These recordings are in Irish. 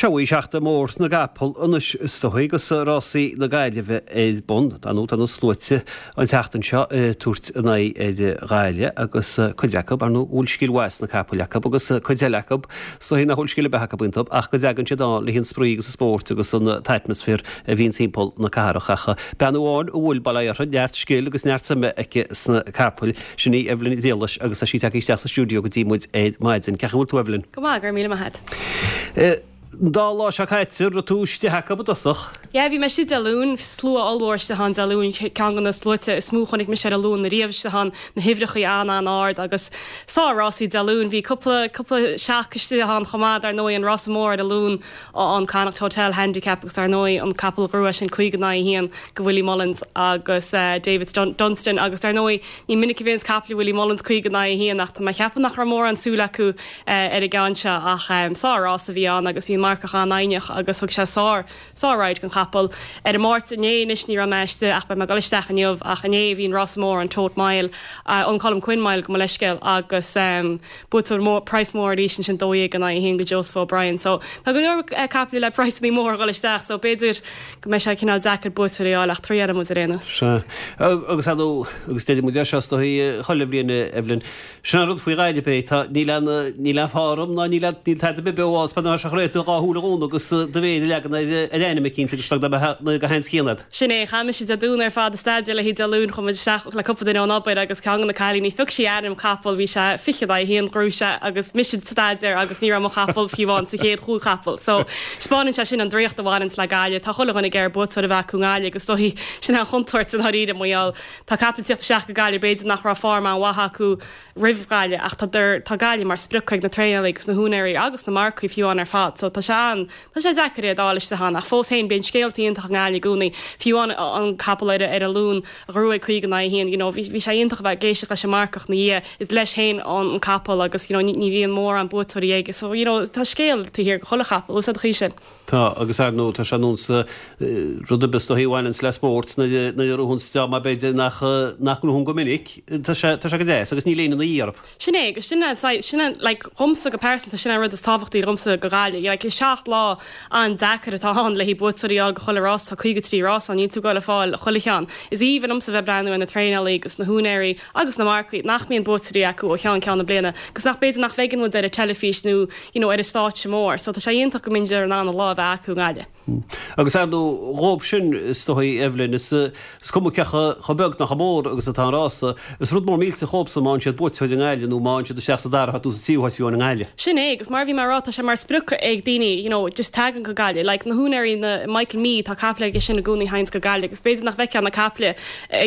Seo í seachtain mhór na gcapall anois is dóigh agus rásaí na Gaillimhe ar bun. Dar ndóigh tá na sluaite an tseachtain seo ag tabhairt a n-aghaidh ar Ghaillimh agus cuid acu, ar ndóigh, go bhfuil scil mhaith sna capaill acu agus cuid eile acu is dóigh nach bhfuil scil ar bith acu iontu ach go dtagann siad ann le haghaidh an spraoi agus an spóirt agus an t-atmaisféar a bhíonn timpeall na cathrach. Ach bean amháin a bhfuil, bail ó Dhia uirthi, neart scil agus neart suime aici sna capaill, sin í Evelyn Mhilis agus tá sí tagtha isteach sa stiúideo go dtí muid ar maidin. Cén chaoi a bhfuil tú Evelyn? Go maith, go raibh míle maith agat. An dá lá seo caite, raibh tú istigh acu i dtosach? Yeah, bhí mé istigh Dé Luain, slua ollmhór istigh ann Dé Luain, ceann de na sluaite is mó a chonaic mise ar an Luan ariamh istigh ann, na huimhreachaí an-an-ard agus sár-rásaí Dé Luain. Bhí cúpla, cúpla shock istigh ann chomh maith, dar ndóigh, an rása mór ar an Luan, an Connacht Hotel Handicap agus dar ndóigh an capall a ghnóthaigh sin 50 in aghaidh 1 go Willie Mullins agus David Dunstan agus dar ndóigh ní minic a bhíonns caiple Willie Mullins 50 in aghaidh 1 ach tá mé ag ceapadh nach raibh mórán súil acu ar an gceann seo ach sár-rás a bhí ann agus bhí an marcach an-fhoighneach agus thug sé sár sár-ride don chapall. Ar an Máirt inné anois ní raibh mé istigh ach beidh mé ag dul isteach inniu ach inné bhí an rása mór an Tote Mile, an Colm Quinn Mile gabh mo leithscéal agus buaiteoir mór, praghas mór arís ansin 12 in aghaidh 1 go Joseph O'Brien so tá go leor caiple le praghsanna móra a dhul isteach so b'fhéidir go mbeidh sé cineál deacair buaiteoirí a fháil ach triailfidh muid ar aon nós. Sea. Agus ar ndóigh, agus deireann muid é seo is dóigh chuile bhliain Evelyn, Sin an rud faoi Ghaillimh é, tá, níl aon, níl aon form ná níl aon, níl tada ar bith beo ann, is beag nach mbeadh sé chun do dhá shúil a dhúnadh agus do mhéar a leagan ar, ar ainm eicínt agus beag nach mbeadh na go haon scian agat. Sin é, chaith mise Dé Domhnaigh ar fad ag staidéar le haghaidh Dé Luain, chuaigh muid isteach le cúpla duine ón obair agus ceann de na cailíní, phioc sí ainm capall, bhí sé 20 in aghaidh 1, ghnóthaigh sé agus mise ag staidéar agus ní raibh mo chapall fiú amháin sa chéad chúig chapall. So, 'spáineann sé sin an draíocht a bhaineanns le Gaillimh, tá chuile dhuine ag iarraidh buaiteoir a bheith acu i nGaillimh agus is dóigh, sin é an chontúirt i ndáiríre, mar gheall, Tá capaill ag tíocht isteach go Gaillimh, b'fhéidir nach raibh form an-mhaith acu roimh Ghaillimh ach tá tá Gaillimh mar sprioc ag na traenálaí agus na húinéirí agus na marcaigh fiú amháin ar fad so tá sé an, tá sé deacair iad a fháil istigh ann ach fós féin bíonn scéalta iontach i nGaillimh i gcónaí. Fiú amháin an capall ar ar an Luan a ghnóthaigh 50 in aghaidh 1 you know bhí bhí sé iontach a bheith ag éisteacht leis an marcach ina dhiaidh, is leis féin an capall agus you know ní ní bhíonn mórán buaiteoirí aige so you know tá scéal taobh thiar de chuile chapall, bhfuil a fhios a'd an chaoi sin. Tá, agus ar ndóigh tá sé nós rud ar bith is dóichí a bhaineanns le spórt nuair a ghnóthaíonns dream b'fhéidir nach nach ngnóthaíonn go minic, tá sé tá sé go deas agus níl éinne ina dhiaidh orthu. Sin é, agus sin é saghas, sin é like dhomsa go pearsanta sin é an rud is tábhachtaí dhomsa go Gaillimh. Like is seacht lá an-deacair atá ann le haghaidh buaiteoirí a fháil go chuile rás, tá 53 rás ann, níl tú ag goil a fáil chuile cheann. Is aoibhinn liomsa bheith breathnú ar na traenálaí agus na húinéirí agus na marcaigh nach mbíonn buaiteoirí acu ó cheann ceann na bliana agus nach b'fhéidir nach bhfeiceann muid ar an teilifís nó you know, ar an stáitse mór. So tá sé iontach go mbíonn in ann a lá a bheith acu i nGaillimh. Agus ar ndóigh, dhóibh sin, is dóigh, Evelyn, is cuma cé chomh beag nó chomh mór agus atá an rása, is rud mór millteach dhóibhsan má fhaigheann siad buaiteoir i nGaillimh nó má fhaigheann siad isteach sa dara háit nó sa tríú háit fiú amháin i nGaillimh. Sin é, agus mar a bhí mé a rá, tá sé mar sprioc ag daoine, you know, just tagann go Gaillimh. Like, na húinéirí, na, Michael Mee, tá caiple aige sin i gcónaí a théanns go Gaillimh agus b'fhéidir nach bhfeicfeá na caiple,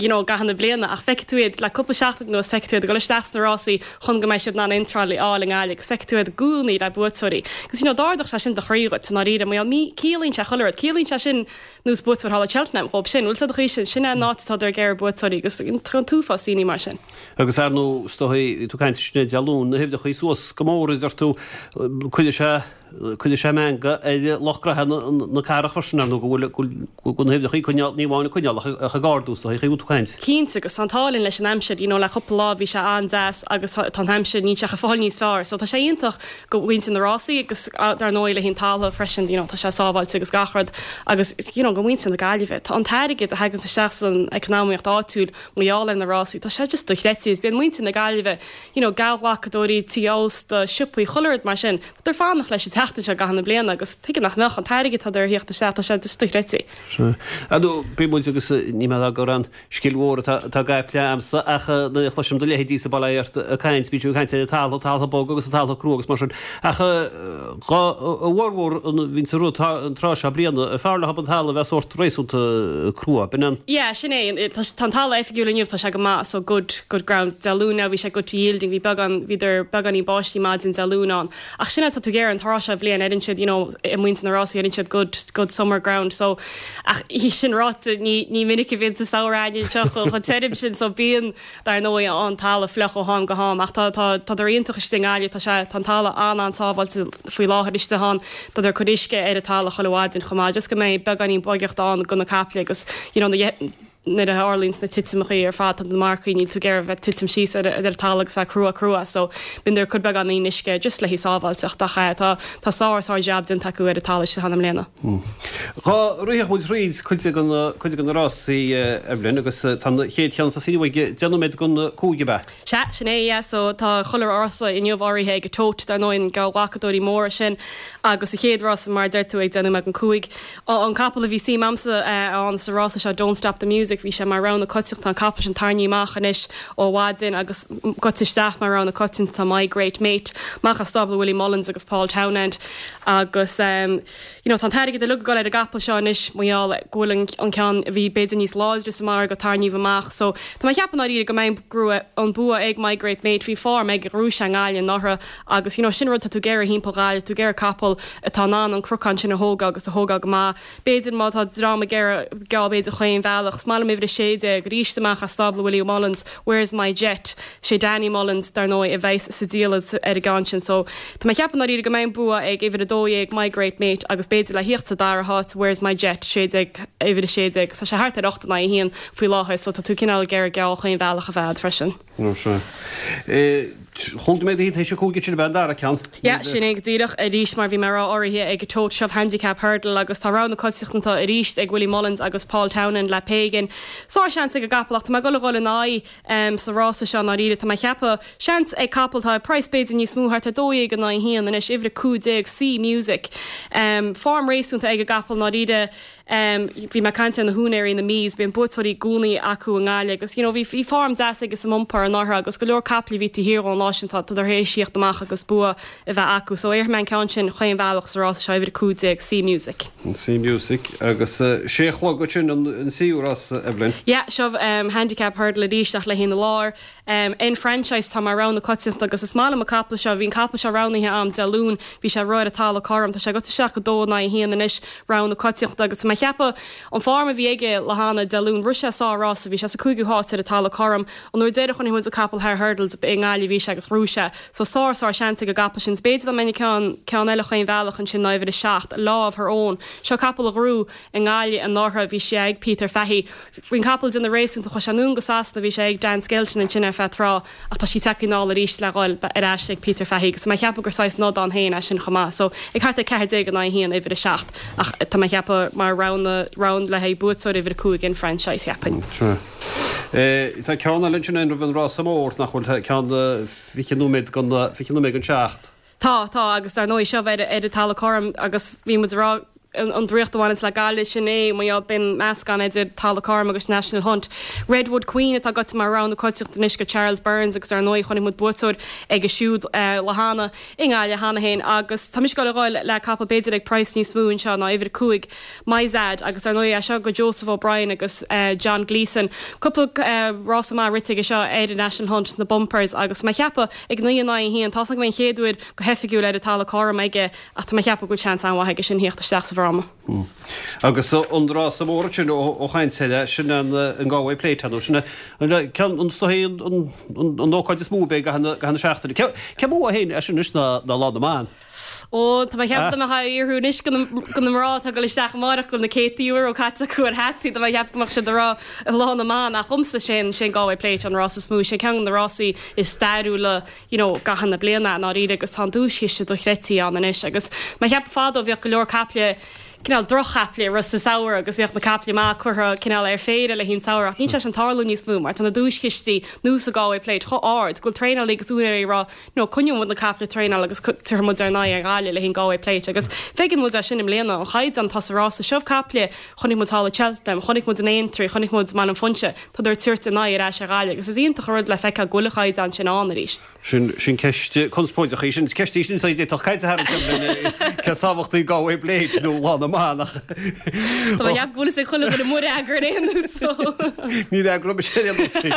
you know, i gcaitheamh na bliana ach feicfidh tú iad le cúpla seachtain anuas, feicfidh tú iad ag dul isteach sna rásaí, chun go mbeidh siad in ann iontráil a fháil i nGaillimh agus feicfidh tú iad i gcónaí le buaiteoirí. Agus you know d'ardódh sé sin do chroí dhuit i ndáiríre mar gheall ciallaíonn sé chuile rud. Ciallaíonn sé sin nós buaiteoir thall i Cheltenham dhóibh sin. Bhfuil a fhios a'd an chaoi sin, sin é an áit atá ag iarraidh buaiteoirí agus tá an t-uafás daoine mar sin. Agus ar ndóigh, is dóigh, tú ag caint ansin Dé Luain, na huimhreachaí suas go mór a deir tú, cuirfidh sé, Cuirfidh sé meangadh ar lucht gnoithe na cathrach freisin, ar ndóigh, go bhfuil go bhfuil na huimhreachaí coinneáil, ní amháin ag coinneáil ach ach ag ardú, is dóigh, an chaoi a bhfuil tú ag caint. Cinnte, agus tá an t-ádh linn leis an aimsir, you know, le cúpla lá bhí sé an-deas agus tá an aimsir, níl sé ach ag fáil níos fearr, so tá sé iontach go mhuintir na rásaí agus dar ndóigh le haghaidh an talamh freisin, you know, tá sé sábháilte agus gach rud agus, you know, go muintir na Gaillimhe. Tá an t-airgead a thaganns isteach san eacnamaíocht áitiúil mar gheall ar na rásaí, tá sé just dochreidte, is bíonn muintir na Gaillimhe, you know, geallghlacadóirí, tithe ósta, siopaí, chuile rud mar sin. Tá ag fanacht leis an tseachtain seo i gcaitheamh na bliana agus tuige nach mbeadh, an t-airgead atá ag tíocht isteach, tá sé just dochreidte. Sea. Ar ndóigh, bíonn muid agus ní mé gur aon scil mhór atá i gcaiple a'msa ach nuair a chloisim do leithéidí sa baile ort ag caint, bíonn sibh ag caint ar an talamh, talamh bog agus an talamh crua agus mar sin. Ach dhá bhformhór an bhíonn sa rud an tráth seo bliana, fearr leo an talamh a bheith sórt réasúnta crua, b'in an. Yeah, sin é. Tá an talamh oifigiúil inniu, tá sé go maith, so good, good ground. Dé Luain now bhí sé good to yielding, bhí beagán, bhíodar beagáinín báistí maidin Dé Luain ann. Ach sin é tá tú ag iarraidh an tráth seo bhliain, deireann siad, you know, i muintir na rásaí, deireann siad good, good summer ground. So, ach sin ráite, ní, ní minic a bhíonn sa samhradh againn anseo chomh tirim sin, so bíonn, dar ndóigh, an talamh fliuch ó ham go ham. Ach tá, tá, tádar iontach istigh i nGaillimh, tá sé, tá an talamh an-an-sábháilte faoi láthair istigh ann. Tádar ag cur uisce ar an talamh chuile mhaidin chomh maith, just go mbeidh beagáinín boigeachta ann do na caiple agus, you know, na. nuair a tharlaíonns na titimeachaí ar fad tá na marcaigh níl tú ag iarraidh bheith titim síos ar ar an talamh agus é crua crua so bíonn ag cur beagáinín uisce just le haghaidh sábháilteacht ach tá tá sár sár jab déanta acu ar an talamh istigh ann i mbliana. Dhá rithfeadh muid thríd cuid de na cuid de na rásaí Evelyn agus tá an chéad cheann ag tosaí inniu ag 10 nóiméad don 5 ab ea? Sea, sin é, yeah, so tá chuile rása inniu áirithe ag an Tote, dar ndóigh, na geallghlacadóirí móra sin, agus an chéad rása, mar a deir tú, ag 10 nóiméad don 5. An capall a bhí suim a'msa ann sa rása seo, Don't Stop the Music, bhí sé mar rogha na coitianta, tá an capall sin tarraingthe amach anois ó mhaidin agus goite isteach mar rogha na coitianta tá My Great Mate, amach as stábla Willie Mullins agus Paul Townend agus. You know, tá an t-airgead uilig ag dul ar an gcapall seo anois mar gheall go bhfuil an ceann a bhí b'fhéidir níos láidre sa margadh tarraingthe amach. So, tá mé ag ceapadh i ndáiríre go mbeidh an an bua ag My Great Mate. Bhí form aige, ghnóthaigh sé i nGaillimh anuraidh agus you know, sin rud tá tú ag iarraidh thimpeall Ghaillimh, tú ag iarraidh capall atá in ann an cnocán sin a thógáil agus a thógáil go maith. B'fhéidir má tá dream ag iarraidh geall b'fhéidir chaon bhealach. Is maith liom uimhir 16 arís amach as stábla Willie Mullins, Where's My Jet? Sé Danny Mullins, dar ndóigh, a bheas sa diallait ar an gceann sin so tá mé ag ceapadh i ndáiríre go mbeidh an bua ag uimhir 12, My Great Mate, agus b'fhéidir le thíocht sa dara háit, Where's My Jet, 16, uimhir 16. Tá sé thart ar 8 in aghaidh 1 faoi láthair so tá tú cineál ag iarraidh geall chaon bhealach a bheith a'd freisin. Nó sea. Chúig nóiméad tar éis a 5 sin ab ea an dara ceann. Yeah, sin é go díreach. Arís, mar bhí mé a rá, áirithe ag an Tote seo Handicap Hurdle agus tá rogha na coitiantachta arís ag Willie Mullins agus Paul Townend le Pagan. Sár-sheans ag an gcapall ach tá mé ag dul a dhul ina aghaidh sa rása seo i ndáiríre. Tá mé ag ceapadh, seans ag capall atá ag praghas b'fhéidir níos mó, thart ar 12 in aghaidh 1 anois, uimhir 15, Sea Music. Form réasúnta ag an gcapall i ndáiríre. Bhí mé ag caint ar na húinéirí, na Meades, bíonn buaiteoirí i gcónaí acu i nGaillimh agus you know bhí bhí form deas aige sa mbumper anuraidh agus go leor caiple a bhí taobh thiar dhó an lá sin tá tar éis thíocht amach agus bua a bheith acu. So éarfaidh mé an ceann sin chaon bhealach sa rása seo, uimhir 15, Sea Music. Sea Music agus sé a chlog ansin an tríú rása, Evelyn. Yeah, seo Handicap Hurdle arís ach le haghaidh na lár. Enfranchise tá mar rogha na coitianta agus is maith liom an capall seo. Bhí an capall seo roghnaithe a'm Dé Luain, bhí sé ag rith ar an talamh cothrom. Tá sé goite isteach go 2 in aghaidh 1 anois, rogha na coitianta agus tá mé ag ceapadh an form a bhí aige lá cheana, Dé Luain, rith sé sár-rása, bhí sé sa cúigiú háit ar an talamh cothrom. An uair deireadh chonaic muid an capall thar hurdles i nGaillimh bhí sé agus ghnóthaigh sé. So sár sár seans ag an gcapall sin. B'fhéidir dá mbeinn ag ceann ceann eile chaon bhealach ansin ná uimhir 7, Law of Her Own. Seo capall a ghnóthaigh i nGaillimh anuraidh, bhí sé ag Peter Fahy. Bhí an capall ag déanamh réasúnta, chuaigh sé anonn go Sasana, bhí sé ag Dan Skelton ansin ar feadh tráth ach tá sí tagtha anall arís le dhul ar ais ag Peter Fahy agus tá mé ag ceapadh gur saghas nod ann féin é sin chomh maith. So ag thart ar 14 in aghaidh 1, uimhir 7 ach tá mé ag ceapadh mar rogha rogha le haghaidh buaiteoir uimhir 5 Enfranchise cheapfainn. Sea. Tá ceann eile ansin roimh an rása mór nach bhfuil, ceann 20 nóiméad don 20 nóiméad don 7. Tá, tá, agus dar ndóigh seo ar ar an talamh cothrom agus bhí muid ag rá an draíocht a bhaineanns le Gaillimh, sin é, mar gheall, bíonn meascán idir talamh cothrom agus National Hunt. Redwood Queen atá goite mar rogha na coitiantachta anois go Charles Byrnes agus dar ndóigh chonaic muid buaiteoir aige siúd lá cheana i nGaillimh cheana féin agus tá mise ag dul a dhul le capall b'fhéidir ag praghas níos mó anseo ná uimhir 5, Myzad agus dar ndóigh é seo go Joseph O'Brien agus John Gleeson. Cúpla rása maith rite aige seo ar an National Hunt sna bumpers agus tá mé ag ceapadh ag 9 in aghaidh 1, tá's agam go mbeidh an chéad uair go hoifigiúil ar an talamh cothrom aige ach tá mé ag ceapadh go bhfuil seans an-mhaith aige sin thíocht isteach sa bhfráma. Agus an rása mór ansin ó chaint eile, sin an Galway Plate nó sin an ceann an an ócáid is mó a bheidh i gcaitheamh na seachtaine. Cé mó féin é sin anois ná Lá na mBan? Ó, tá mé ag ceapadh dá mbeadh á fhiafraí anois go na mná atá ag dul isteach amárach go bhfuil na céadtaí euro caite acu ar hataí, tá mé ag ceapadh go mbeadh siad ag rá Lá na mBan ach dhomsa sé an, sé an Galway Plate an rás is mó, sé ceann de na rásaí is stairiúla you know i gcaitheamh na bliana i ndáiríre agus tá an duaischiste dochreidte ann anois agus mé ag ceapadh fadó bhíodh go leor caiple cineál droch-chaiple ag rith sa samhradh agus bhíodh na caiple maith curtha cineál ar péire le haghaidh an samhradh ach níl sé sin tarlú níos mó mar tá na duaischistí nua sa Galway Plate chomh ard go bhfuil traenálaí agus úinéirí ag rá No, coinneoidh muid na caiple ag traenáil agus tabharfaidh muid ár n-aghaidh ar Ghaillimh le haghaidh an Galway Plate agus feiceann muid é sin i mbliana, an chaighdeán atá sa rása seo caiple, chonaic muid thall i Cheltenham, chonaic muid in Aintree, chonaic muid i mBaile an Phúinse, tádar ag tabhairt a n-aghaidh ar ais ar Ghaillimh agus is iontach an rud le feiceáil go bhfuil an chaighdeán sin ann arís. Sin, sin ceist conspóideach í sin, ceist í sin a d'fhéadfadh caint a tharraingt orm, cé is tábhachtaí Galway Plate nó Lá na mBan ach. Tá mé ag ceapadh go bhfuil fhios ag chuile dhuine mo fhreagra ar aon nós so. Ní fhreagróidh mise ar aon nós í.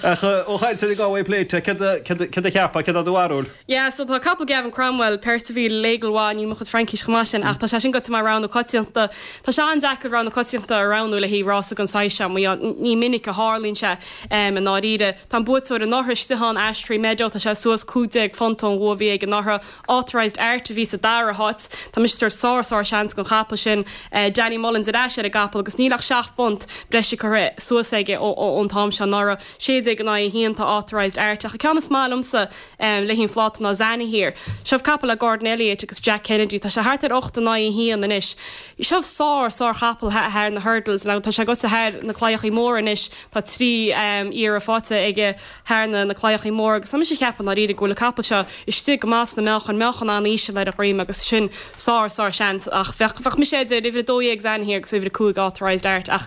Ach ó chaint ar an Galway Plate, céard a cheapfá, céard é do bharúil? Yeah, so tá capall Gavin Cromwell, Perciville, l'Aigle, níl mo chuid Fraincís chomh maith sin, ach tá sé sin goite mar rogha na coitianta. Tá sé an-deacair rogha na coitianta a roghnú le haghaidh rása den saghas seo, mar ní minic a tharlaíonn sé i ndáiríre. Tá an buaiteoir anuraidh istigh ann, Ashtree. Meadow, tá sé suas £15 ón bhua a bhí aige anuraidh. Authorised Art a bhí sa dara háit. Tá mise ag tabhairt sár sár seans don chapall sin. Danny Mullins ar ais ar an gcapall agus níl ach £7 breise curtha suas aige ón t-am seo anuraidh. 16 in aghaidh 1 tá Authorised Art ach an ceann is maith liomsa le haghaidh an phláta ná Zanahiyr. Seo capall le Gordon Elliott agus Jack Kennedy. Tá sé thart ar 8 in aghaidh 1 anois. Seo sár sár chapall thar na hurdles nó tá sé gaibhte thar na claíochaí móra anois. Tá 3 iarraidh faighte aige thar na claíochaí móra agus tá mise ag ceapadh i ndáiríre go bhfuil an capall seo istigh go maith sna meáchain, meáchan an-íseal ar a dhroim agus sin sár, sár seans ach bheadh, bheadh mise idir uimhir 12 Zanahiyr agus uimhir 5 Authorised Art ach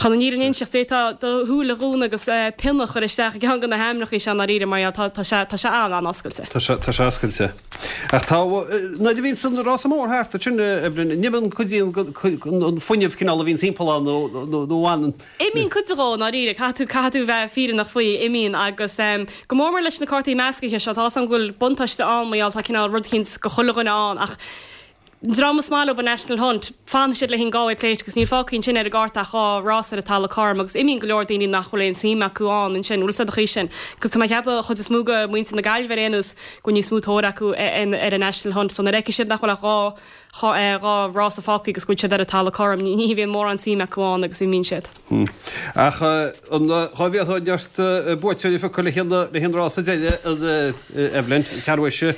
chun an fhírinne a inseacht d'fhéadfá do shúile a dhúnadh agus pionna a chur isteach i gceann de na hainmneacha seo i ndáiríre mar gheall tá, tá sé, tá sé an-an-oscailte. Tá sé, tá sé oscailte. Ach tá, nuair a bhíonns an rása mór thart ansin, Evelyn, an imíonn cuid den, an fuinneamh cineál a bhíonns timpeall ann nó, nó, nó an. Imíonn cuid de i ndáiríre, caithfidh tú, caithfidh tú bheith fírinneach faoi, imíonn agus go mór mór leis na cártaí meascaithe seo, tá 'fhios agam go bhfuil buntáiste ann mar gheall tá cineál rud eicínt go chuile dhuine ann ach an dream is maith leo an National Hunt, fanfaidh siad le haghaidh an Galway Plate agus níl fágtha ansin ar an gcárta ach dhá rás ar an talamh cothrom agus imíonn go leor daoine nach bhfuil aon suim acu ann ansin, bhfuil 'fhios a'd an chaoi sin? Agus tá mé ag ceapadh an chuid is mó de mhuintir na Gaillimhe ar aon nós go bhfuil níos mó tóir acu ar an National Hunt so nuair a fheicfidh siad nach bhfuil ach dhá 2 rása fágtha agus go bhfuil siad ar an talamh cothrom, ní bhíonn mórán suim acu ann agus imíonn siad. Ach an dá bhféadfá neart buaiteoirí a phiocadh le haghaidh an rása deiridh, Evelyn, ceathrú théis,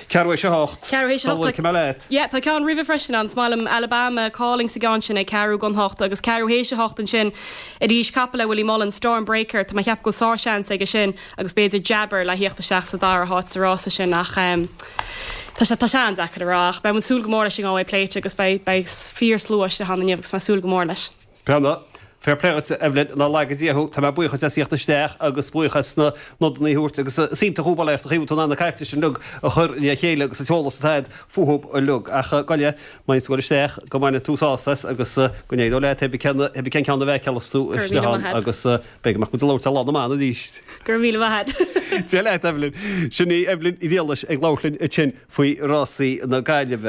ceathrú théis a hocht. Ceathrú théis a hocht. Tá leat. Yeah, tá ceann roimhe freisin ann. Is maith liom Alabama Calling sa gceann sin ag ceathrú don hocht agus ceathrú théis a hocht ansin arís capall le Willie Mullins, Storm Breaker. Tá mé ag ceapadh go bhfuil sár-seans aige sin. agus b'fhéidir Jabber le thíocht isteach sa dara háit sa rása sin ach tá sé tá sé an-deacair a rá ach beidh muid ag súil go mór leis an nGalway Plate agus beidh beidh fíor slua istigh ann inniu agus tá mé ag súil go mór leis. Bhuel, fair play dhuit Evelyn, nár laga Dia thú, tá mé buíoch duit as thíocht isteach agus buíoch as na nodanna a thabhairt agus is iontach thú bail ort an chaoi a bhfuil tú in ann na caipitlis uilig a chur le chéile agus an t-eolas atá agat fúthu uilig. Ach gabh i leith, má bhíonn tú ag dul isteach, go mbaine tú sásamh as agus go n-éireoidh leat pé cén ceann a bhfeiceálas tú Go raibh istigh míle ann maith a't. agus Beidh go mbeadh muid ag labhairt ar Lá na mBan arís. Go raibh míle maith a't. Dia leat, Evelyn. Sin í Evelyn Uí Mhiallais ag labhairt linn ansin faoi rásaí na Gaillimhe.